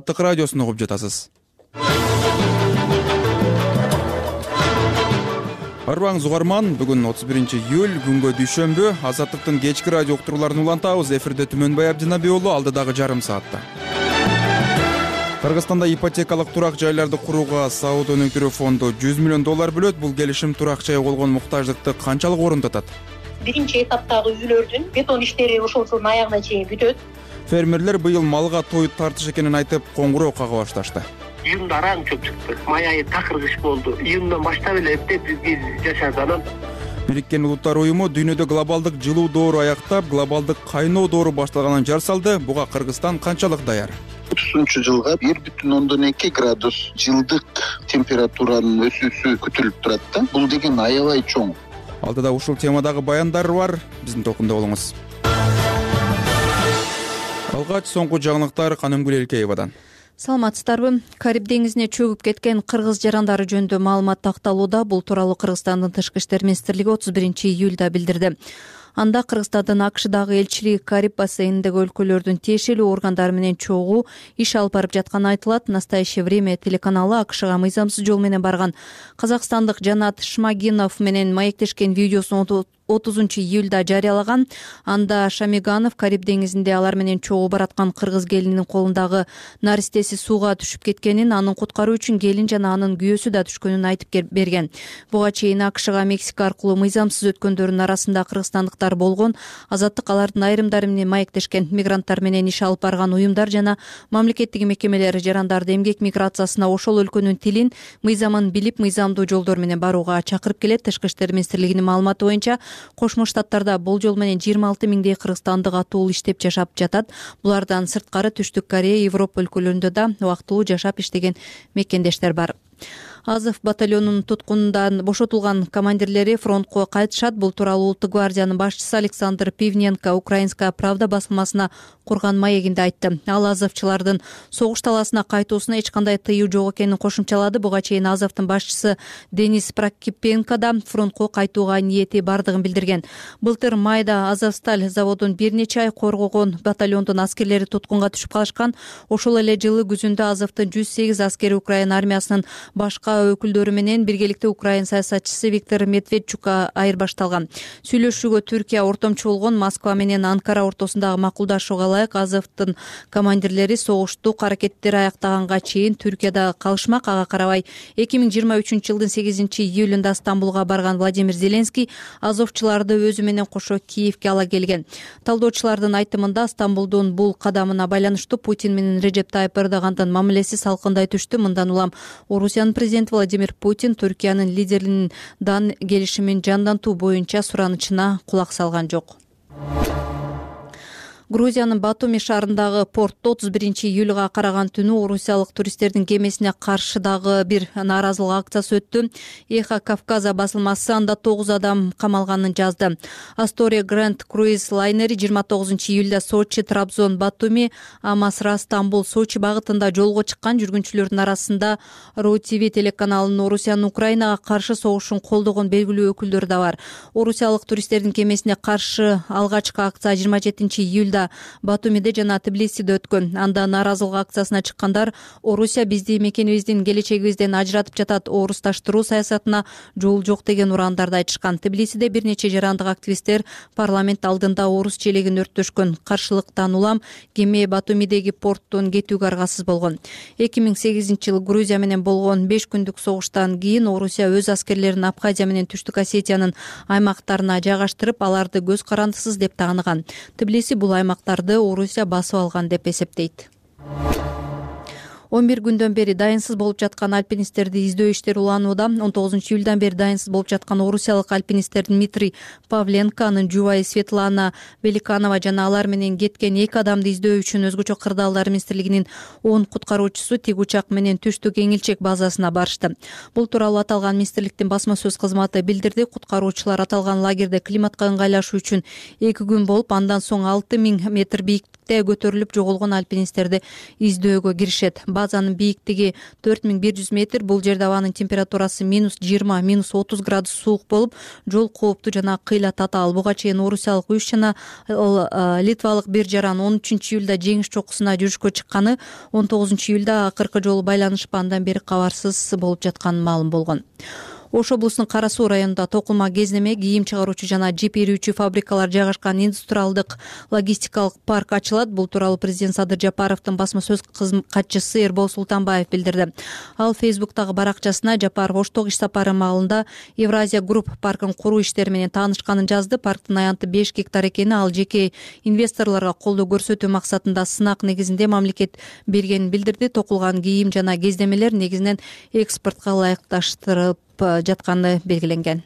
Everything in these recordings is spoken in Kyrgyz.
Азаттык радиосун угуп жатасыз. Арбаңыз угарман, бүгүн 31-июль, күнгө дүйшөмбү. Азаттыктын кечки радио уктурууларын улантабыз. Эфирде Түмөнбай Абдинабий уулу, алдыдагы жарым саатта. Кыргызстанда ипотекалык турак жайларды курууга Сауд өнүктүрүү фонду $100 миллион бөлөт. Бул келишим турак жай болгон муктаждыкты канчалык орундатат? Биринчи этаптагы үйлөрдүн бетон иштери ушул жылдын аягына чейин бүтөт. Фермерлер быйыл малга тоюп тартыш экенин айтып, коңгуроо кага башташты. Июнда араң көп чыкты. Май айы такыр кыш болду. Июндан баштап эле эптеп бизге жашады. Анан Бириккен Улуттар уюму дүйнөдө глобалдык жылуу доору аяктап, глобалдык кайноо доору башталганын жар салды. Буга Кыргызстан канчалык даяр? 30-жылга 1,2 градус жылдык температуранын өсүүсү күтүлүп турат да. Бул деген аябай чоң. Алдыда ушул темадагы баяндар бар. Биздин толкунда болуңуз. Алгач соңку жаңылыктар Канымгүл Элкеевадан. Саламатсыздарбы? Кариб деңизине чөгүп кеткен кыргыз жарандары жөнүндө маалымат такталууда. Бул тууралуу Кыргызстандын Тышкы иштер министрлиги 31-июлда билдирди. Анда Кыргызстандын АКШдагы элчилиги Кариб бассейниндеги өлкөлөрдүн тиешелүү органдары менен чогуу иш алып барып жатканы айтылат. Настоящее время телеканалы АКШга мыйзамсыз жол менен барган казакстандык Жанат Шмагинов менен маектешкен видеосун 30-июлда жарыялаган. Анда Шамиганов Кариб деңизинде алар менен чогуу бараткан кыргыз келининин колундагы наристеси сууга түшүп кеткенин, анын куткаруу үчүн келин жана анын күйөөсү да түшкөнүн айтып берген. Буга чейин АКШга Мексика аркылуу мыйзамсыз өткөндөрдүн арасында кыргызстандыктар болгон. Азаттык алардын айрымдары менен маектешкен, мигранттар менен иш алып барган уюмдар жана мамлекеттик мекемелер жарандарды эмгек миграциясына ошол өлкөнүн тилин, мыйзамын билип, мыйзамдуу жолдор менен барууга чакырып келет. Тышкы иштер министрлигинин маалыматы боюнча Кошмо Штаттарда болжол менен 26 миңдей кыргызстандык атуул иштеп жашап жатат. Булардан сырткары Түштүк Корея, Европа өлкөлөрүндө да убактылуу жашап иштеген мекендештер бар. Азов батальонунун туткунундан бошотулган командирлери фронтко кайтышат. Бул тууралуу Улуттук гвардиянын башчысы Александр Пивненко Украинская правда басылмасына курган маегинде айтты. Ал азовчылардын согуш талаасына кайтуусуна эч кандай тыюу жок экенин кошумчалады. Буга чейин Азовдун башчысы Денис Прокипенко да фронтко кайтууга ниети бардыгын билдирген. Былтыр майда Азовсталь заводун бир нече ай коргогон батальондун аскерлери туткунга түшүп калышкан. Ошол эле жылы күзүндө Азовдун 108 аскери Украина армиясынын башка өкүлдөрү менен биргеликте Украин саясатчысы Виктор Медведчукка айырбашталган. Сүйлөшүүгө Түркия ортомчу болгон. Москва менен Анкара ортосундагы макулдашууга ылайык Азовдун командирлери согуштук аракеттери аяктаганга чейин Түркияда калышмак. Ага карабай 2023-жылдын 8-июлунда Стамбулга барган Владимир Зеленский азовчуларды өзү менен кошо Киевге ала келген. Талдоочулардын айтымында Стамбулдун бул кадамына байланыштуу Путин менен Режеп Тайып Эрдогандын мамилеси салкындай түштү. Мындан улам Орусиянын президенти Владимир Путин Түркиянын лидеринин дан келишимин жандантуу боюнча суранычына кулак салган жок. Грузиянын Батуми шаарындагы портто 31-июлга караган түнү орусиялык туристтердин кемесине каршы дагы бир нааразылык акциясы өттү. Эхо Кавказа басылмасы анда 9 адам камалганын жазды. Astoria Grand Cruise лайнери 29-июлда Сочи, Трабзон, Батуми, Амасра, Стамбул, Сочи багытында жолго чыккан. Жүргүнчүлөрдүн арасында RU TV телеканалынын Орусиянын Украинага каршы согушун колдогон белгилүү өкүлдөрү да бар. Орусиялык туристтердин кемесине каршы алгачкы акция 27-июлда Батумиде жана Тбилисиде өткөн. Анда нааразылык акциясына чыккандар Орусия бизди мекенибиздин келечегибизден ажыратып жатат, орусташтыруу саясатына жол жок деген урандарды айтышкан. Тбилисиде бир нече жарандык активисттер парламент алдында орус челегин өрттөшкөн. Каршылыктан улам кеме Батумидеги порттон кетүүгө аргасыз болгон. 2008-жылы Грузия менен болгон 5 күндүк согуштан кийин Орусия өз аскерлерин Абхазия менен Түштүк Осетиянын аймактарына жайгаштырып, аларды көз карандысыз деп тааныган. Тбилиси бул аймактарды Орусия басып алган деп эсептейт. 11 күндөн бери дайынсыз болуп жаткан альпинисттерди издөө иштери уланууда. 19-июлдан бери дайынсыз болуп жаткан орусиялык альпинисттер Дмитрий Павленко, анын жубайы Светлана Великанова жана алар менен кеткен 2 адамды издөө үчүн өзгөчө кырдаалдар министрлигинин 10 куткаруучусу тик учак менен Түштүк Эңилчек базасына барышты. Бул тууралуу аталган министрликтин басма сөз кызматы билдирди. Куткаруучулар аталган лагерде климатка ыңгайлашуу үчүн 2 күн болуп, андан соң 6000 метр бийиктикте көтөрүлүп жоголгон альпинисттерди издөөгө киришет. базанын бийиктиги 4100 метр. Бул жерде абанын температурасы -20, -30 градус суук болуп, жол кооптуу жана кыйла татаал. Буга чейин орусиялык 3 жана литвалык 1 жаран 13-июлда жеңиш чокусуна жүрүшкө чыкканы, 19-июлда акыркы жолу байланышып, андан бери кабарсыз болуп жатканы маалым болгон. Ош облусунун Кара Суу районунда токума, кездеме, кийим чыгаруучу жана жип ирүүчү фабрикалар жайгашкан индустриалдык логистикалык парк ачылат. Бул тууралуу президент Садыр Жапаровдун басма сөз катчысы Эрбол Султанбаев билдирди. Ал Фейсбуктагы баракчасына Жапаров Оштогу иш сапары маалында Евразия Групп паркын куруу иштери менен таанышканын жазды. Парктын аянты 5 гектар экени, ал жеке инвесторлорго колдоо көрсөтүү максатында сынак негизинде мамлекет бергенин билдирди. Токулган кийим жана кездемелер негизинен экспортко ылайыкташтырылып жатканы белгиленген.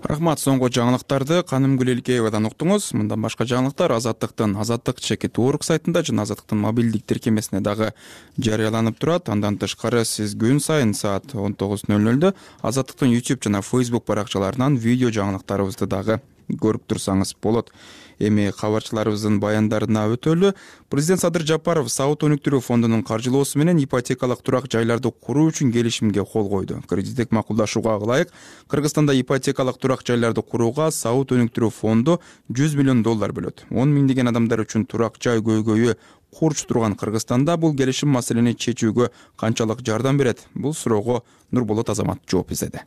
Рахмат. Соңку жаңылыктарды Канымгүл Элкеевадан уктуңуз. Мындан башка жаңылыктар Азаттыктын Азаттык.org сайтында жана Азаттыктын мобилдик тиркемесине дагы жарыяланып турат. Андан тышкары сиз күн сайын саат 19:00 Азаттыктын YouTube жана Facebook баракчаларынан видео жаңылыктарыбызды дагы көрүп турсаңыз болот. Эми кабарчыларыбыздын баяндарына өтөлү. Президент Садыр Жапаров Саут өнүктүрүү фондунун каржылоосу менен ипотекалык турак жайларды куруу үчүн келишимге кол койду. Кредиттик макулдашууга ылайык Кыргызстанда ипотекалык турак жайларды курууга Саут өнүктүрүү фонду $100 миллион бөлөт. 10 миңдеген адамдар үчүн турак жай көйгөйү курч турган Кыргызстанда бул келишим маселени чечүүгө канчалык жардам берет? Бул суроого Нурболот Азамат жооп издеди.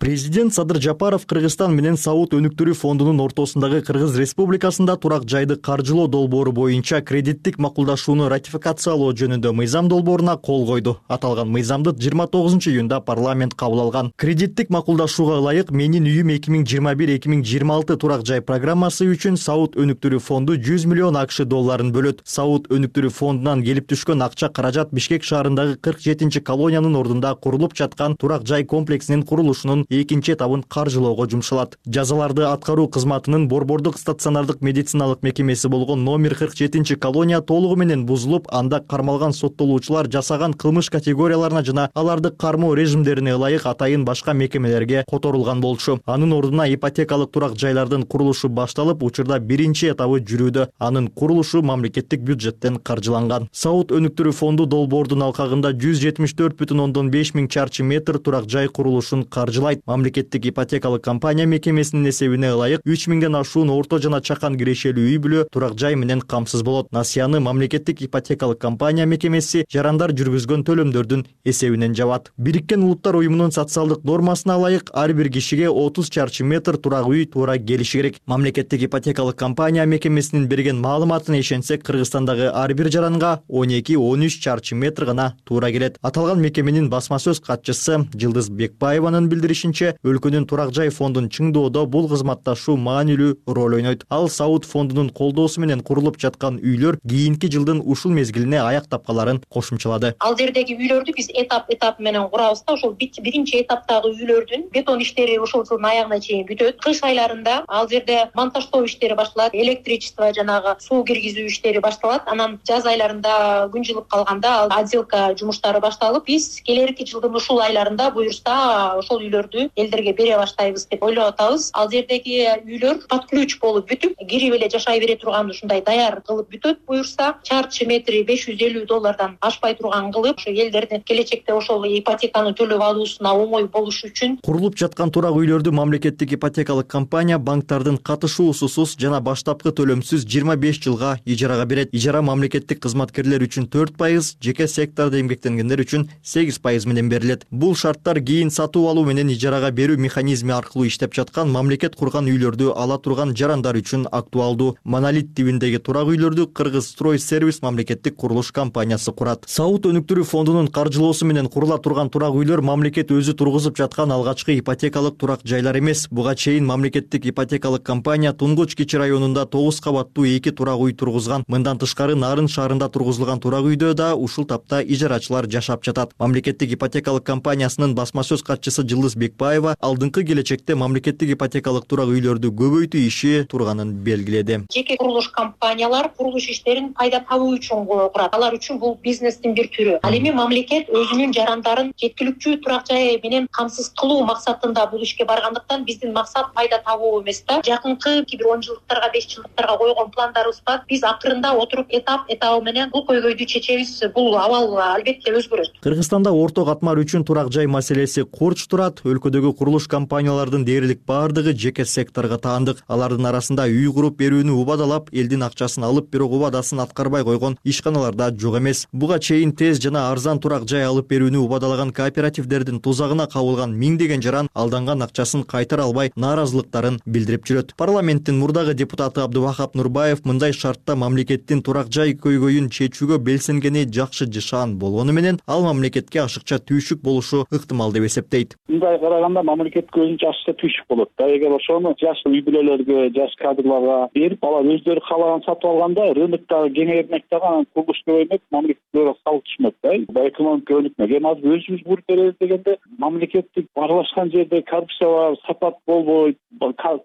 Президент Садыр Жапаров Кыргызстан менен Саут өнүктүрүү фондунун ортосундагы Кыргыз Республикасында турак жайды каржылоо долбоору боюнча кредиттик макулдашууну ратификациялоо жөнүндө мыйзам долбооруна кол койду. Аталган мыйзамды 29-июнда парламент кабыл алган. Кредиттик макулдашууга ылайык Менин үйүм 2021-2026 турак жай программасы үчүн Саут өнүктүрүү фонду $100 миллион долларын бөлөт. Саут өнүктүрүү фондунан келип түшкөн акча каражат Бишкек шаарындагы 47-чи колониянын ордунда курулуп жаткан турак жай комплексинин курулушунун экинчи этабын каржылоого жумшалат. Жазаларды аткаруу кызматынын борбордук стационардык медициналык мекемеси болгон номер 47-чи колония толугу менен бузулуп, анда кармалган соттолуучулар жасаган кылмыш категорияларына жана аларды кармоо режимдерине ылайык атайын башка мекемелерге которулган болчу. Анын ордуна ипотекалык турак жайлардын курулушу башталып, учурда биринчи этабы жүрүүдө. Анын курулушу мамлекеттик бюджеттен каржыланган. Саут өнүктүрүү фонду долбоордун алкагында 174,5 миң чарчы метр турак жай курулушун каржылайт. Мамлекеттик ипотекалык компания мекемесинин эсебине ылайык 3 миңден ашуун орто жана чакан кирешелүү үй бүлө турак жай менен камсыз болот. Насыяны мамлекеттик ипотекалык компания мекемеси жарандар жүргүзгөн төлөмдөрдүн эсебинен жабат. Бириккен Улуттар уюмунун социалдык нормасына ылайык ар бир кишиге 30 чарчы метр турак үй туура келиши керек. Мамлекеттик ипотекалык компания мекемесинин берген маалыматына ишенсек, Кыргызстандагы ар бир жаранга 12-13 чарчы метр гана туура келет. Аталган мекеменин басма сөз катчысы Жылдыз Бекбаеванын билдиришинче, өлкөнүн турак жай фондун чыңдоодо бул кызматташуу маанилүү роль ойнойт. Ал Саут фондунун колдоосу менен курулуп жаткан үйлөр кийинки жылдын ушул мезгилине аяк тапкаларын кошумчалады. Ал жердеги үйлөрдү биз этап менен курабыз да, ошол биринчи этаптагы үйлөрдүн бетон иштери ушул жылдын аягына чейин бүтөт. Кыш айларында ал жерде монтаждоо иштери башталат, электричество жанагы суу киргизүү иштери башталат. Анан жаз айларында күн жылып калганда ал отделка жумуштары башталып, биз келерки жылдын ушул айларында буюрса ошол үйлөрдү элдерге бере баштайбыз деп ойлоп атабыз. Ал жердеги үйлөр под ключ болуп бүтүп, кирип эле жашай бере турган ушундай даяр кылып бүтөт. Буюрса чарчы метри $550 ашпай турган кылып, ошо элдердин келечекте ошол ипотеканы төлөп алуусуна оңой болуш үчүн. Курулуп жаткан турак үйлөрдү мамлекеттик ипотекалык компания банктардын катышуусусуз жана баштапкы төлөмсүз 25 жылга ижарага берет. Ижара мамлекеттик кызматкерлер үчүн 4%, жеке сектордо эмгектенгендер үчүн 8% менен берилет. Бул шарттар кийин сатуу алуу менен ижарага берүү механизми аркылуу иштеп жаткан мамлекет курган үйлөрдү ала турган жарандар үчүн актуалдуу. Монолит тибиндеги турак үйлөрдү Кыргыз Строй Сервис мамлекеттик курулуш компаниясы курат. Саут өнүктүрүү фондунун каржылоосу менен курула турган турак үйлөр мамлекет өзү тургузуп жаткан алгачкы ипотекалык турак жайлар эмес. Буга чейин мамлекеттик ипотекалык компания Тунгуч Кичи районунда 9 кабаттуу 2 турак үй тургузган. Мындан тышкары Нарын шаарында тургузулган турак үйдө да ушул тапта ижарачылар жашап жатат. Мамлекеттик ипотекалык компаниясынын басма сөз катчысы Жылдыз Эликбаева алдыңкы келечекте мамлекеттик ипотекалык турак үйлөрдү көбөйтүү иши турганын белгиледи. Жеке курулуш компаниялар курулуш иштерин пайда табуу үчүн курат. Алар үчүн бул бизнестин бир түрү. Ал эми мамлекет өзүнүн жарандарын жеткиликтүү турак жай менен камсыз кылуу максатында бул ишке баргандыктан биздин максат пайда табуу эмес да. Жакынкы бир 10 жылдыктарга 5 жылдыктарга койгон пландарыбыз бар. Биз акырында отуруп этап менен бул көйгөйдү чечебиз. Бул абал албетте өзгөрөт. Кыргызстанда орто катмар үчүн турак жай маселеси корч турат. Өлкөдөгү курулуш компаниялардын дээрлик бардыгы жеке секторго таандык. Алардын арасында үй куруп берүүнү убадалап, элдин акчасын алып, бирок убадасын аткарбай койгон ишканаларда жок эмес. Буга чейин тез жана арзан турак жай алып берүүнү убадалаган кооперативдердин тузагына кабылган миңдеген жаран алданган акчасын кайтара албай нааразылыктарын билдирип жүрөт. Парламенттин мурдагы депутаты Абдувахап Нурбаев мындай шартта мамлекеттин турак жай көйгөйүн чечүүгө белсенгени жакшы жашаан болгону менен ал мамлекетке ашыкча түйшүк болушу ыктымал деп эсептейт. Мындай караганда мамлекетке өзүнчө ашыкча түйшүк болот да. Эгер ошону жаш үй бүлөлөргө, жаш кадрларга берип, алар өздөрү каалаган сатып алганда рыноктогу кеңеймек дагы, анан курулуш көбөймөк, мамлекетке салык түшмөк да. Экономика өнүкмөк. Эми азыр өзүбүз буруп беребиз дегенде мамлекеттик аралашкан жерде коррупция бар, сапат болбойт,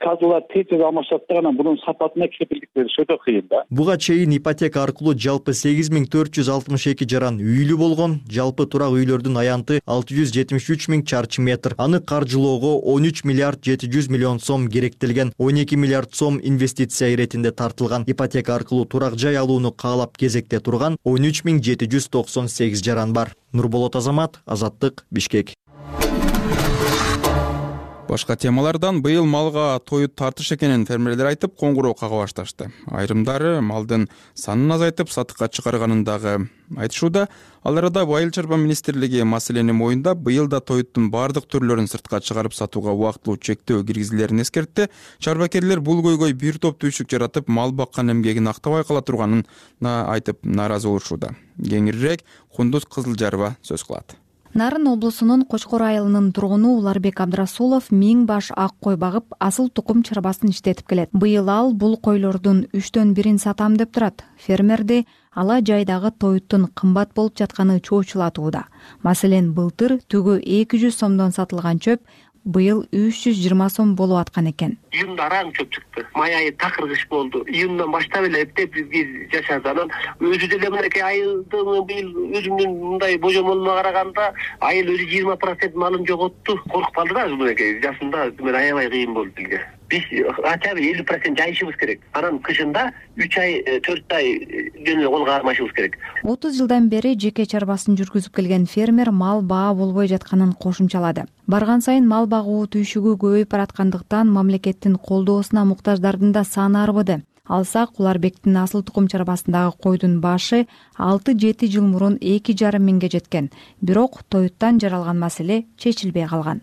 кадрлар тез алмашат да, анан мунун сапатына кепилдик бериш өтө кыйын да. Буга чейин ипотека аркылуу жалпы 8462 жаран үйлүү болгон. Жалпы турак үйлөрдүн аянты 673 000 чарчы метр. Аны каржылоого 13 миллиард 700 миллион сом керектелген. 12 миллиард сом инвестиция иретинде тартылган. Ипотека аркылуу турак жай алууну каалап кезекте турган 13 798 жаран бар. Нурболот Азамат, Азаттык, Бишкек. Башка темалардан быйыл малга тоют тартыш экенин фермерлер айтып, коңгуроо кага башташты. Айрымдары малдын санын азайтып сатыкка чыгарганын дагы айтышууда. Ал арада Айыл чарба министрлиги маселени моюндап, быйыл да тоюттун бардык түрлөрүн сыртка чыгарып сатууга убактылуу чектөө киргизилерин эскертти. Чарбакерлер бул көйгөй бир топ түйшүк жаратып, мал баккан эмгегин актабай кала турганын айтып нааразы болушууда. Кеңирирээк Кундуз Кызылжарова сөз кылат. Нарын облусунун Кочкор айылынын тургуну Уларбек Абдрасулов 1000 баш ак кой багып, асыл тукум чарбасын иштетип келет. Быйыл ал бул койлордун 3/1 сатам деп турат. Фермерди ала жайдагы тоюттун кымбат болуп жатканы чоочулатууда. Маселен, былтыр түгү 200 сомдон сатылган чөп быйыл 320 сом болуп аткан экен. Июнда араң чөп чыкты. Май айы такыр кыш болду. Июндан баштап эле эптеп бизге жашады. Анан өзү деле мынакей айылдын быйыл өзүмдүн мындай божомолума караганда айыл өзү 20% малын жоготту. Коркуп калды да мынакей жасында мен аябай кыйын болду бизге. Биз ача 50% жайышыбыз керек. Анан кышында 3 ай 4 ай жөн колго кармашыбыз керек. 30 жылдан бери жеке чарбасын жүргүзүп келген фермер мал баа болбой жатканын кошумчалады. Барган сайын мал багуу түйшүгү көбөйүп бараткандыктан мамлекеттин колдоосуна муктаждардын да саны арбыды. Алсак, Уларбектин асыл тукум чарбасындагы койдун башы 6-7 жыл мурун 2,5 миңге жеткен. Бирок тоюттан жаралган маселе чечилбей калган.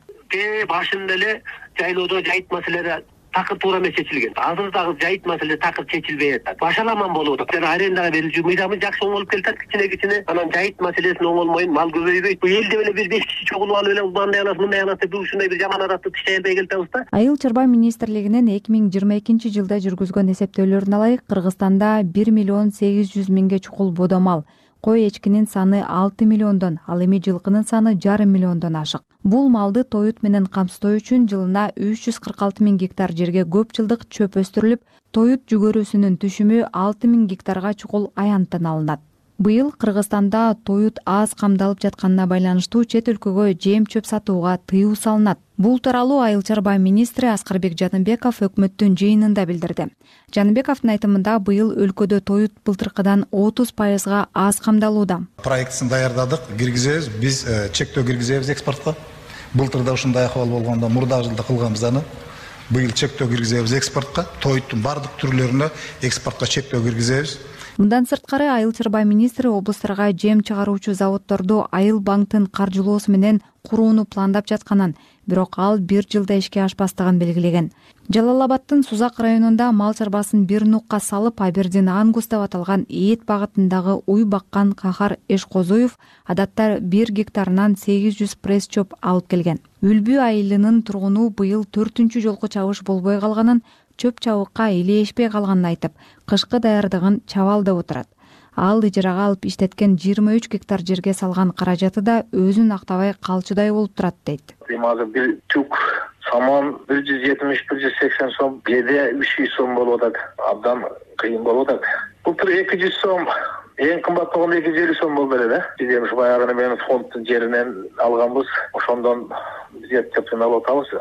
Башында эле жайлоодо жайыт маселелери такыр туура эмес чечилген. Азыр дагы жайыт маселе такыр чечилбей атат. Башаламан болуп атат. Жана арендага берилүү мыйзамы жакшы оңолуп келатат кичине. Анан жайыт маселесин оңолмойн, мал көбөйбөйт. Бул элде эле бир 5 киши чогулуп алып эле мындай анас мындай анас деп ушундай бир жаман аратты тишей албай келатабыз да. Айыл чарба министрлигинин 2022 жылда жүргүзгөн эсептөөлөрүнө ылайык, Кыргызстанда 1 миллион 800 миңге чукул бодомал, кой эчкинин саны 6 миллиондон, ал эми жылкынын саны 1,5 миллиондон ашык. Бул малды тоют менен камсыздоо үчүн жылына 346 000 гектар жерге көп жылдык чөп өстүрүлүп, тоют жүгөрүсүнүн түшүмү 6 000 гектарга чукул аянттан алынат. Быйыл Кыргызстанда тоют аз камдалып жатканына байланыштуу чет өлкөгө жем чөп сатууга тыюу салынат. Бул тууралуу Айыл чарба министри Аскарбек Жаныбеков өкмөттүн жыйынында билдирди. Жаныбековдун айтымында быйыл өлкөдө тоют былтыркыдан 30% аз камдалууда. Проектин даярдадык, киргизебиз, биз чектөө киргизебиз экспортко. Былтырда ушундай акыбал болгондо мурдагы жылда кылганбыз аны. Быйыл чектөө киргизебиз экспортко, тоюттун бардык түрлөрүнө экспортко чектөө киргизебиз. Мындан сырткары Айыл чарба министри облустарга жем чыгаруучу заводдорду Айыл банктын каржылоосу менен курууну пландап жатканын, бирок ал 1 жылда ишке ашпастыгын белгилеген. Жалал Абадтын Сузак районунда мал чарбасын бир нукка салып, Абердин Ангус деп аталган Эет багытындагы уй баккан Кахар Эшкозуев адатта 1 гектарынан 800 пресс чөп алып келген. Үлбү айылынын тургуну быйыл 4-үнчү жолку чабыш болбой калганын, чөп чабыкка илешпей калганын айтып, кышкы даярдыгын чабал деп отурат. Ал ижарага алып иштеткен 23 гектар жерге салган каражаты да өзүн актабай калчудай болуп турат дейт. Азыр бир түк саман 170-180 сом, кээде 300 сом болуп атат. Абдан кыйын болуп атат. Былтыр 200 сом, эң кымбат болгондо 250 сом болду эле да. Биз эми баягы менен фонддун жеринен алганбыз. Ошондон биз эптеп алып атабыз.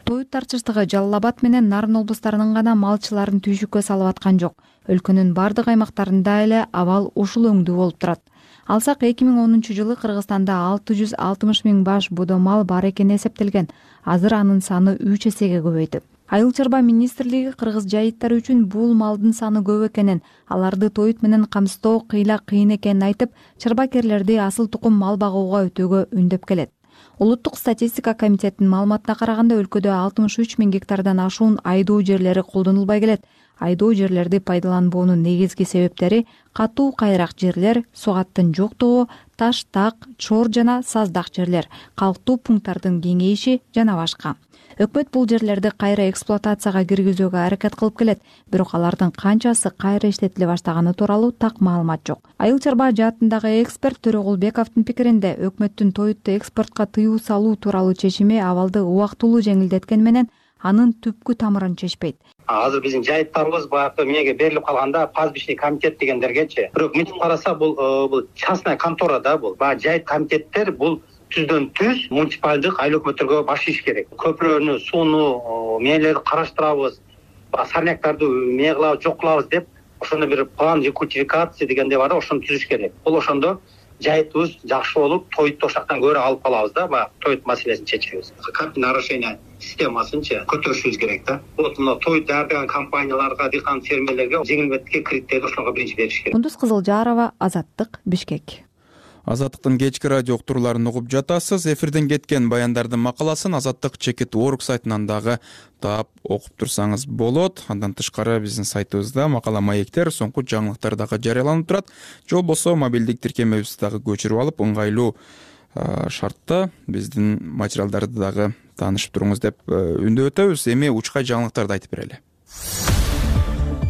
Тоют тарчыштыгы Жалал Абад менен Нарын облустарынын гана малчыларын түйшүккө салып аткан жок. Өлкөнүн бардык аймактарында эле абал ушул өңдүү болуп турат. Алсак 2010 жылы Кыргызстанда 660 миң баш бодо мал бар экени эсептелген. Азыр анын саны 3 эсеге көбөйдү. Айыл чарба министрлиги кыргыз жайыттары үчүн бул малдын саны көп экенин, аларды тоют менен камсыздоо кыйын экенин айтып, чарбакерлерди асыл тукум мал багууга өтөөгө үндөп келет. Улуттук статистика комитетинин маалыматына караганда өлкөдө 63 миң гектардан ашуун айдоо жерлери колдонулбай келет. Айдоо жерлерди пайдаланбоонун негизги себептери катуу кайрак жерлер, сугаттын жоктугу, таш, так, чор жана саздак жерлер, калктуу пункттардын кеңейиши жана башка. Өкмөт бул жерлерди кайра эксплуатацияга киргизүүгө аракет кылып келет, бирок алардын канчасы кайра иштетиле баштаганы тууралуу так маалымат жок. Айыл чарба жаатындагы эксперт Төрөгулбековдун пикиринде, өкмөттүн тоютту экспортко тыюу салуу тууралуу чечими абалды убактылуу жеңилдеткени менен анын түпкү тамырын чечпейт. Азыр биздин жайыттарыбыз баягы эмеге берилип калганда пастбищный комитет дегендергечи. Бирок мынтип караса бул частная контора да бул. Баягы жайыт комитеттер бул түздөн түз муниципалдык айыл өкмөттөргө баш ийиш керек. Көпүрөнү, сууну, мээлерди караштырабыз, сорняктарды эмне кылабыз, жок кылабыз деп, ошондо бир план рекультивикация дегенде бар да, ошону түзүш керек. Бул ошондо жайытыбыз жакшы болуп, тоютту ошактан көрө алып калабыз да, баягы тоют маселесин чечебиз. Картина орошения системасынчы көтөрүшүбүз керек да. Вот мына тоют даярдаган компанияларга, дыйкан фермерлерге жеңилдетке кредиттерди ошолорго биринчи бериш керек. Кундуз Кызылжарова, Азаттык, Бишкек. Азаттыктын кечки радио уктурууларын угуп жатасыз. Эфирден кеткен баяндардын макаласын Азаттык Чекит.org сайтынан дагы таап окуп турсаңыз болот. Андан тышкары биздин сайтыбызда макала маектер, соңку жаңылыктар дагы жарыяланып турат. Же болбосо мобилдик тиркемебизди дагы көчүрүп алып, ыңгайлуу шартта биздин материалдарды дагы таанышып туруңуз деп үндөп өтөбүз. Эми учкай жаңылыктарды айтып берели.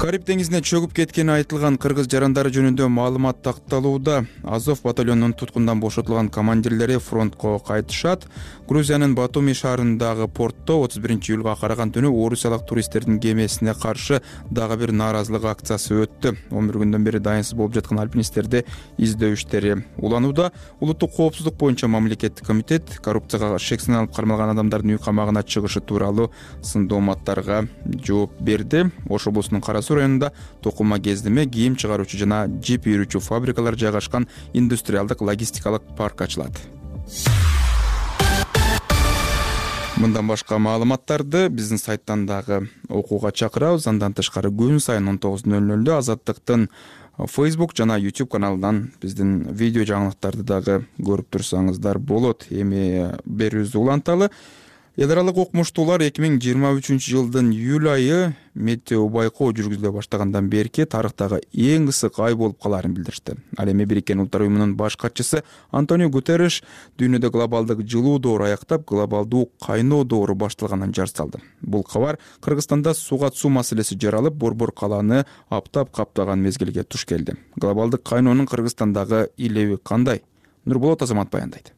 Кариб деңизине чөгүп кеткени айтылган кыргыз жарандары жөнүндө маалымат такталууда. Азов батальонунун туткундан бошотулган командирлери фронтко кайтышат. Грузиянын Батуми шаарындагы портто 31-июлга караган түнү орусиялык туристтердин кемесине каршы дагы бир нааразылык акциясы өттү. 11 күндөн бери дайынсыз болуп жаткан альпинисттерди издөө иштери уланууда. Улуттук коопсуздук боюнча мамлекеттик комитет коррупцияга шексиз алып кармалган адамдардын үй камагына чыгышы тууралуу сындооматтарга жооп берди. Ош облусунун Кара Суу районунда токума кездеме, кийим чыгаруучу жана жип үйрүүчү фабрикалар жайгашкан индустриалдык логистикалык парк ачылат. Мындан башка маалыматтарды биздин сайттан дагы окууга чакырабыз. Андан тышкары күн сайын 19:00 Азаттыктын Facebook жана YouTube каналынан биздин видео жаңылыктарды дагы көрүп турсаңыздар болот. Эми берүүбүздү уланталы. Эл аралык окумуштуулар 2023 жылдын июль айы метео байкоо жүргүзүлө баштагандан берки тарыхтагы эң ысык ай болуп калаарын билдиришти. Ал эми Бириккен Улуттар уюмунун баш катчысы Антонио Гутерриш дүйнөдө глобалдык жылуу доору аяктап, глобалдуу кайноо доору башталганын жар салды. Бул кабар Кыргызстанда суга суу маселеси жаралып, Борбор калааны аптап каптаган мезгилге туш келди. Глобалдык кайноонун Кыргызстандагы илеби кандай? Нурболот Азамат баяндайт.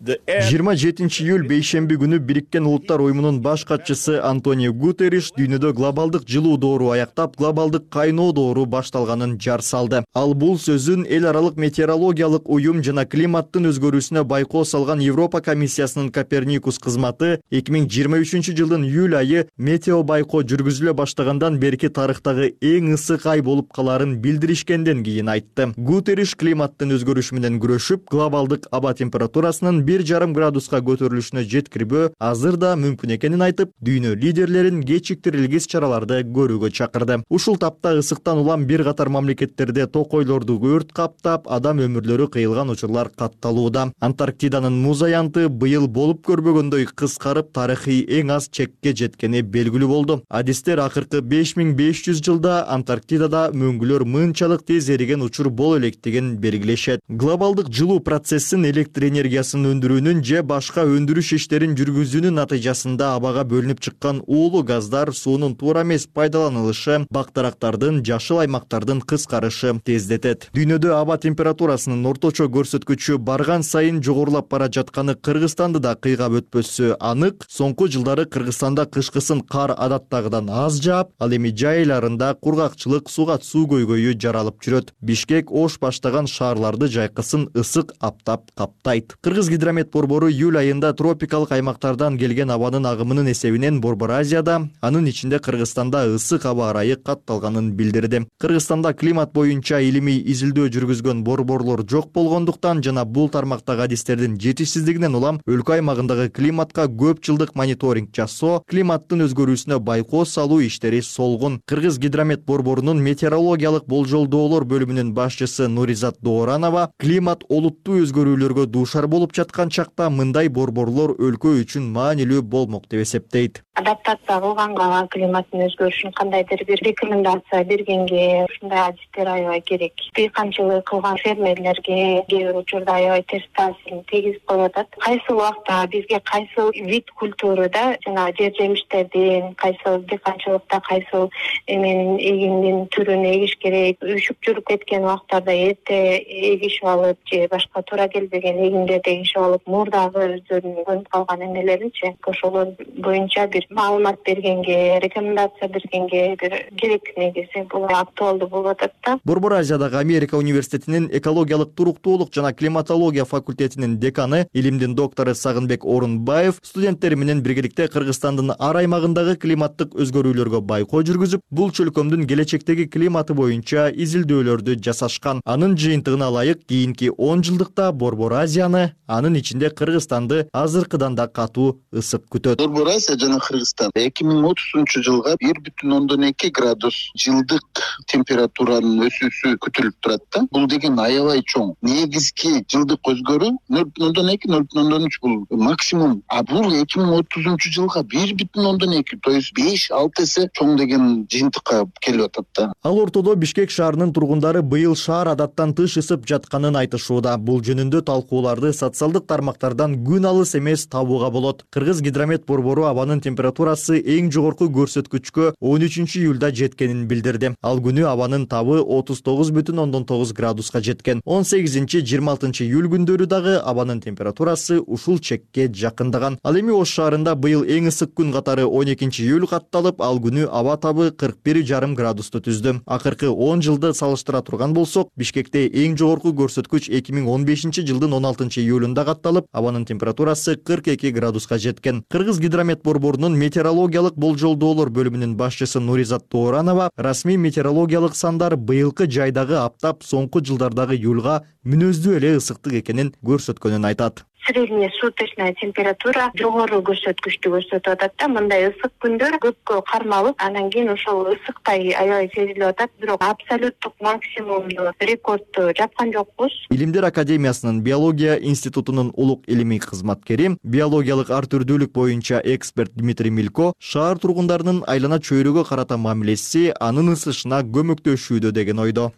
27 июль бейшемби күнү Бириккен Улуттар уюмунун баш катчысы Антонио Гутерриш дүйнөдө глобалдык жылуу доору аяктап, глобалдык кайноо доору башталганын жар салды. Ал бул сөзүн эл аралык метеорологиялык уюм жана климаттын өзгөрүүсүнө байкоо салган Европа комиссиясынын Коперникус кызматы 2023 жылдын июль айы метео байкоо жүргүзүлө баштагандан берки тарыхтагы эң ысык ай болуп калаарын билдиришкенден кийин айтты. Гутерриш климаттын өзгөрүшү менен күрөшүп, глобалдык аба температурасынын 1,5 градуска көтөрүлүшүнө жеткирбөө азыр да мүмкүн экенин айтып, дүйнө лидерлерин кечиктирилгис чараларды көрүүгө чакырды. Ушул тапта ысыктан улам бир катар мамлекеттерде токойлорду өрт каптап, адам өмүрлөрү кыйылган учурлар катталууда. Антарктиданын муз аянты быйыл болуп көрбөгөндөй кыскарып, тарыхый эң аз чекке жеткени белгилүү болду. Адистер акыркы 5500 жылда Антарктидада мөңгүлөр мынчалык тез эриген учур боло электигин белгилешет. Глобалдык жылуу процессин электр энергиясын өндүрүүнүн же башка өндүрүш иштерин жүргүзүүнүн натыйжасында абага бөлүнүп чыккан уулуу газдар суунун туура эмес пайдаланылышы бак дарактардын, жашыл аймактардын кыскарышы тездетет. Дүйнөдө аба температурасынын орточо көрсөткүчү барган сайын жогорулап бара жатканы Кыргызстанды да кыйгап өтпөсү анык. Соңку жылдары Кыргызстанда кышкысын кар адаттагыдан аз жаап, ал эми жай айларында кургакчылык, суга суу көйгөйү жаралып жүрөт. Бишкек, Ош баштаган шаарларды жайкысын ысык аптап каптайт. Кыргыз гидромет борбору июль айында тропикалык аймактардан келген абанын агымынын эсебинен Борбор Азияда, анын ичинде Кыргызстанда ысык аба ырайы катталганын билдирди. Кыргызстанда климат боюнча илимий изилдөө жүргүзгөн борборлор жок болгондуктан жана бул тармактагы адистердин жетишсиздигинен улам өлкө аймагындагы климатка көп жылдык мониторинг жасоо, климаттын өзгөрүүсүнө байкоо салуу иштери солгун. Кыргыз гидромет борборунун метеорологиялык болжолдоолор бөлүмүнүн башчысы Нуризат Дооранова климат олуттуу өзгөрүүлөргө дуушар болуп жаткан чакта мындай борборлор өлкө үчүн маанилүү болмок деп эсептейт. Адаптация кылганга климаттын өзгөрүшүн кандайдыр бир рекомендация бергенге ушундай адистер аябай керек. Дыйканчылык кылган фермерлерге кээ бир учурда аябай терс таасирин тийгизип коюп атат. Кайсыл убакта бизге кайсыл вид культурада жана жер жемиштердин, кайсыл дыйканчылыкта кайсыл эменин эгиндин түрүн эгиш керек, үшүп жүрүп кеткен убактарда эрте эгишип алып же башка туура келбеген эгиндерди эгишип алып, мурдагы өздөрүнүн көнүп калган эмелеринчи ошолор боюнча бир маалымат бергенге, рекомендация бергенге бир керек негизи бул актуалдуу болуп атат да. Борбор Азиядагы Америка университетинин экологиялык туруктуулук жана климатология факультетинин деканы, илимдин доктору Сагынбек Орунбаев студенттери менен биргеликте Кыргызстандын ар аймагындагы климаттык өзгөрүүлөргө байкоо жүргүзүп, бул чөлкөмдүн келечектеги климаты боюнча изилдөөлөрдү жасашкан. Анын жыйынтыгына ылайык кийинки 10 жылдыкта Борбор Азияны, анын ичинде Кыргызстанды азыркыдан да катуу ысык күтөт. Борбор Азия жана Кыргызстан 2030 жылга 1,2 градус жылдык температуранын өсүүсү күтүлүп турат да. Бул деген аябай чоң. Негизги жылдык өзгөрүү 0,2-0,3 бул максимум. А бул 2030 жылга 1,2, то есть 5-6 эсе чоң деген жыйынтыкка келип атат да. Ал ортодо Бишкек шаарынын тургундары быйыл шаар адаттан тыш ысып жатканын айтышууда. Бул жөнүндө талкууларды социалдык тармактардан күн алыс эмес табууга болот. Кыргыз гидромет борбору абанын температурасы эң жогорку көрсөткүчкө 13 июлда жеткенин билдирди. Ал күнү абанын табы 39,9 градуска жеткен. 18-26 июль күндөрү дагы абанын температурасы ушул чекке жакындаган. Ал эми Ош шаарында быйыл эң ысык күн катары 12 июль катталып, ал күнү аба табы 41,5 градусту түздү. Акыркы 10 жылды салыштыра турган болсок, Бишкекте эң жогорку көрсөткүч 2015 жылдын 16 июлунда катталып, абанын температурасы 42 градуска жеткен. Кыргыз гидромет борборунун метеорологиялык болжолдоолор бөлүмүнүн башчысы Нуризат Дооранова расмий метеорологиялык сандар быйылкы жайдагы аптап соңку жылдардагы июлга мүнөздүү эле ысыктык экенин көрсөткөнүн айтат. Средняя суточная температура жогору көрсөткүчтү көрсөтүп атат да. Мындай ысык күндөр көпкө кармалып, анан кийин ошол ысыктай аябай сезилип атат. Бирок абсолюттук максимумду рекордду жапкан жокпуз. Илимдер академиясынын биология институтунун улук илимий кызматкери, биологиялык ар түрдүүлүк боюнча эксперт Дмитрий Милько шаар тургундарынын айлана чөйрөгө карата мамилеси анын ысышына көмөктөшүүдө деген ойдо.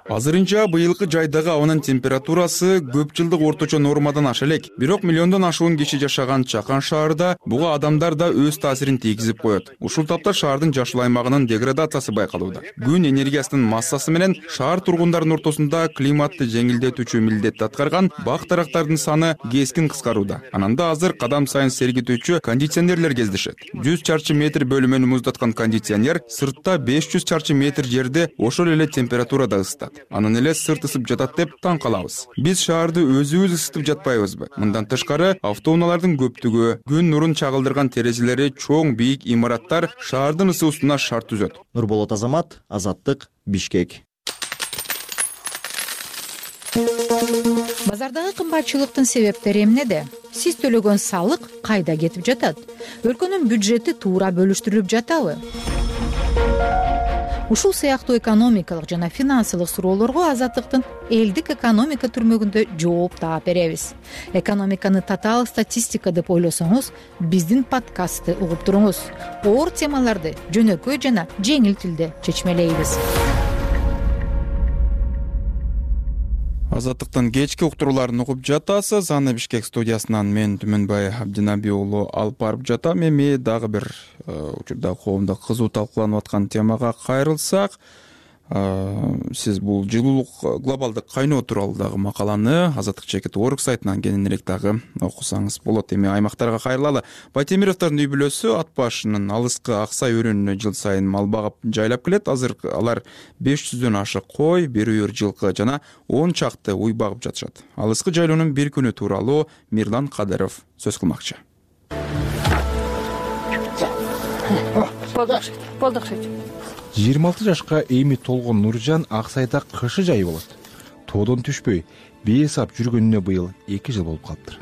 Азырынча быйылкы жайдагы абанын температурасы көп жылдык орточо нормадан аша элек. Бирок миллиондон ашуун киши жашаган Чакан шаарында буга адамдар да өз таасирин тийгизип коет. Ушул тапта шаардын жашыл аймагынын деградациясы байкалууда. Күн энергиясынын массасы менен шаар тургундарынын ортосунда климатты жеңилдетүүчү милдетти аткарган бак дарактардын саны кескин кыскарууда. Ананда азыр кадам сайын сергитүүчү кондиционерлер кездешет. 100 чарчы метр бөлүмөнү муздаткан кондиционер сыртта 500 чарчы метр жерди ошол эле температурада ысытат. Анан эле сырт ысып жатат деп таң калабыз. Биз шаарды өзүбүз ысытып жатпайбызбы? Мындан тышкары автоунаалардын көптүгү, күн нурун чагылдырган терезелери чоң бийик имараттар шаардын ысуусуна шарт түзөт. Нурболот Азамат, Азаттык, Бишкек. Базардагы кымбатчылыктын себептери эмнеде? Сиз төлөгөн салык кайда кетип жатат? Өлкөнүн бюджети туура бөлүштүрүлүп жатабы? Ушул сыяктуу экономикалык жана финансылык суроолорго Азаттыктын элдик экономика түрмөгүндө жооп таап беребиз. Экономиканы татаал статистика деп ойлосоңуз, биздин подкастты угуп туруңуз. Оор темаларды жөнөкөй жана жеңил тилде чечмелейбиз. Азаттыктын кечки уктурууларын угуп жатасыз. Аны Бишкек студиясынан мен Түмөнбай Абдинаби уулу алып барып жатам. Эми дагы бир учурда коомдо кызуу талкууланып аткан темага кайрылсак, сиз бул жылуулук глобалдык кайноо тууралуу дагы макаланы Азаттык чекит орг сайтынан кененирээк дагы окусаңыз болот. Эми аймактарга кайрылалы. Байтемировдордун үй бүлөсү ат башынын алыскы Аксай өрөөнүнө жыл сайын мал багып жайлап келет. Азыр алар 500дөн ашык кой, бир үйүр жылкы жана 10 чакты уй багып жатышат. Алыскы жайлоонун бир күнү тууралуу Мирлан Кадыров сөз кылмакчы. Болду. 26 жашка эми толгон Нуржан Аксайда кышы жай болот. Тоодон түшпөй, бейсап жүргөнүнө быйыл 2 жыл болуп калыптыр.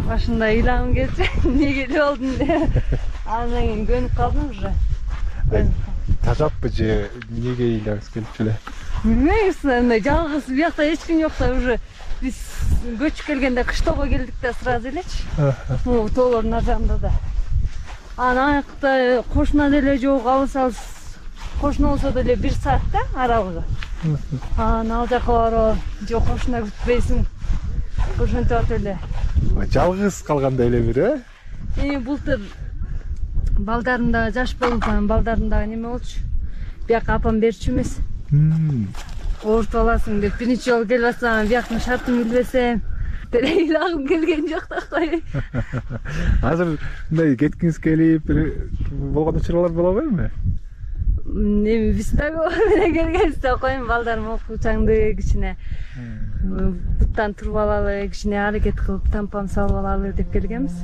Башында ыйлагым келчү, эмнеге эле болдум деп. Андан кийин көнүп калдым уже. Тажаппы же эмнеге ыйлагыңыз келчү эле? Билбеймиз, андай жалгыз биякта эч ким жок да уже биз көчүп келгенде кыштоого келдик да сразу элечи. Могу тоолордун ар жагында да. Анан аякта кошуна деле жок, алыс кошуна болсо деле 1 саатта аралыгы. Анан ал жака барып, жок кошуна күтпөйсүң. Ошентип атып эле. Жалгыз калгандай эле бир, Эми былтыр балдарым да жаш болуп, балдарым да неме болчу. Бияка апам берчү эмес. Оорутуп аласың деп биринчи жолу келип атсам, бияктын шартын билбесем, ыйлагым келген жок да кой. Азыр мындай кеткиңиз келип болгон учурлар боло берби? Эми биз дагы менен келгенбизде коем, балдарым окуучаңды кичине буттан туруп алалы, кичине аракет кылып тампам салып алалы деп келгенбиз.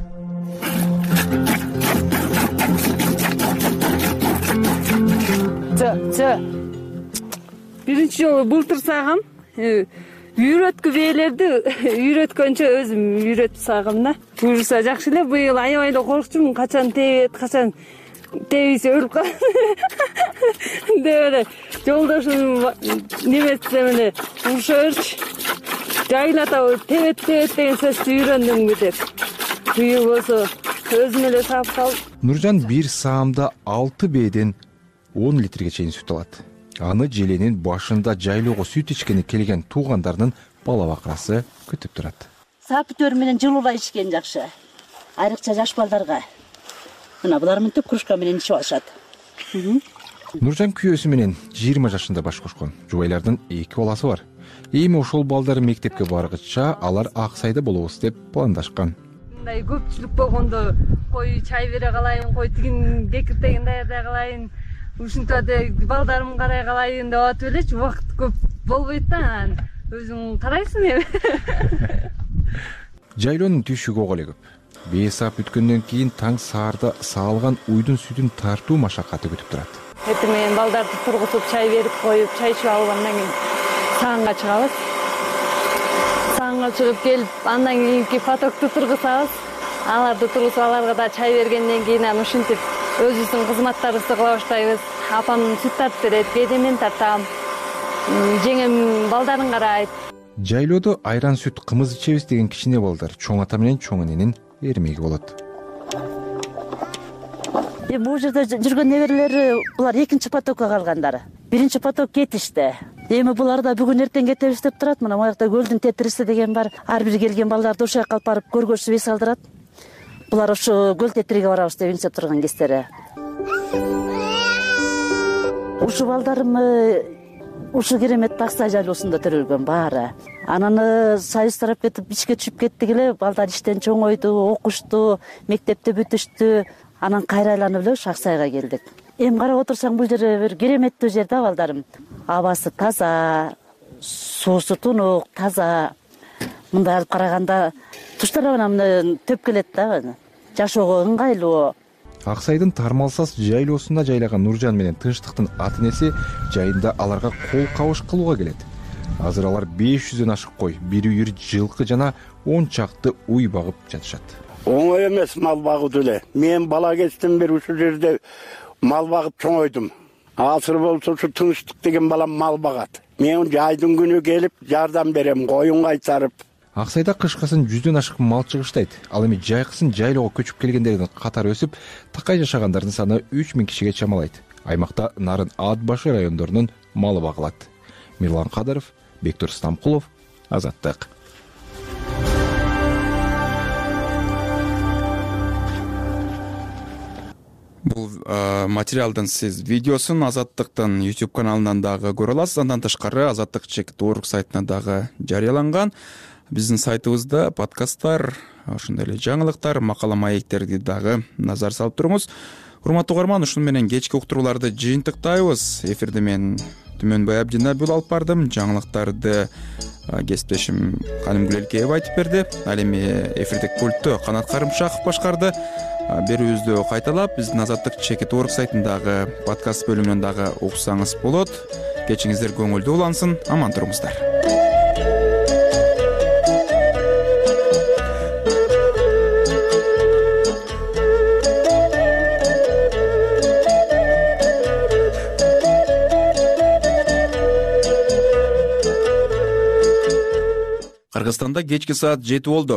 Биринчи жолу былтыр сагам, үйрөткү бээлерди үйрөткөнчө өзүм үйрөтүп сагам да. Буюрса жакшы эле, быйыл аябай эле коркчумун, качан тебет, качан тебисе өлүп калат деп эле жолдошум неметсем эле урушаберчи. Жайлатабы тебет деген сөздү үйрөндүмбү деп. Быйыл болсо өзүм эле саап калып. Нуржан бир саамда 6 бээден 10 литрге чейин сүт алат. Аны желенин башында жайлоого сүт ичкени келген туугандарынын бала бакырасы күтүп турат. Саап бүтөр менен жылуулай ичкен жакшы. Айрыкча жаш балдарга. Мына булар мынтип кружка менен ичип алышат. Нуржан күйөөсү менен 20 жашында баш кошкон. Жубайлардын 2 баласы бар. Эми ошол балдары мектепке баргыча алар Аксайда болобуз деп пландашкан. Мындай көпчүлүк болгондо кой чай бере калайын, кой тигин кекиртегин даярдай калайын, ушинтип балдарымды карай калайын деп атып элечи, убакыт көп болбойт да, өзүң карайсың эми. Жайлоонун түшүгү ого эле көп. Бейсап бүткөндөн кийин таң саарда саалган уйдун сүтүн тартуу машакаты күтүп турат. Эртең менен балдарды тургузуп, чай берип коюп, чай ичип алгандан кийин саанга чыгабыз. Саанга чыгып келип, андан кийинки потокту тургузабыз. Аларды тургузуп, аларга да чай бергенден кийин анан ушинтип өзүбүздүн кызматтарыбызды кыла баштайбыз. Апам сүт тартып берет, кээде мен тартам. Жеңем балдарын карайт. Жайлоодо айран сүт, кымыз ичебиз деген кичине балдар чоң ата менен чоң эненин эрмеги болот. Бул жерде жүргөн неберелери булар 2-чи потокко калгандары. 1-чи поток кетишти. Эми булар да бүгүн эртең кетебиз деп турат. Мына моякта көлдүн тетириси деген бар. Ар бир келген балдарды ошол жака алып барып көргөзүп эс алдырат. Булар ошо көл тетириге барабыз деп интип турган кездери. Ушу балдарым ушу керемет Аксай жайлоосунда төрөлгөн баары. Анан союз тарап кетип ичке түшүп кеттик эле. Балдар иштен чоңойду, окушту, мектепте бүтүштү. Анан кайра айланып эле Аксайга келдик. Эми карап отурсаң бул жер бир кереметтүү жер да, балдарым. Абасы таза, суусу тунук, таза. Мындай алып караганда туштар мына төп келет да. Жашоого ыңгайлуу. Аксайдын Тармалсас жайлоосунда жайлаган Нуржан менен Тынчтыктын ата-энеси жайында аларга кол кабыш кылууга келет. Азыр алар 500дөн ашык кой, бир үйүр жылкы жана 10 чакты уй багып жатышат. Оңой эмес мал багуу деле. Мен бала кезден бери ушул жерде мал багып чоңойдум. Азыр болсо ушу Тынчтык деген балам мал багат. Мен жайдын күнү келип жардам берем, коюн кайтарып. Аксайда кышкысын 100дөн ашык мал чыгыштайт. Ал эми жайкысын жайлоого көчүп келгендердин катары өсүп, такай жашагандардын саны 3000 кишиге чамалайт. Аймакта нарын ат башы райондорунун малы багылат. Мирлан Кадыров, Бектур Стамкулов, Азаттык. Бул материалдын сиз видеосун Азаттыктын YouTube каналынан дагы көрө аласыз. Андан тышкары Азаттык чекит.org сайтына дагы жарыяланган. Биздин сайтыбызда подкасттар, ошондой эле жаңылыктар, макала маектерди дагы назар салып туруңуз. Урматтуу угарман, ушуну менен кечки уктурууларды жыйынтыктайбыз. Эфирди мен Түмөнбай Абдинабил алып бардым. Жаңылыктарды кесиптешим Канымгүл Элкеева айтып берди. Ал эми эфирдик пультту Канат Карымшаков башкарды. Берүүбүздү кайталап, биздин Азаттык чекит.org сайтындагы подкаст бөлүмүнөн дагы уксаңыз болот. Кечиңиздер көңүлдүү улансын, аман туруңуздар. Кыргызстанда кечки саат 7 болду.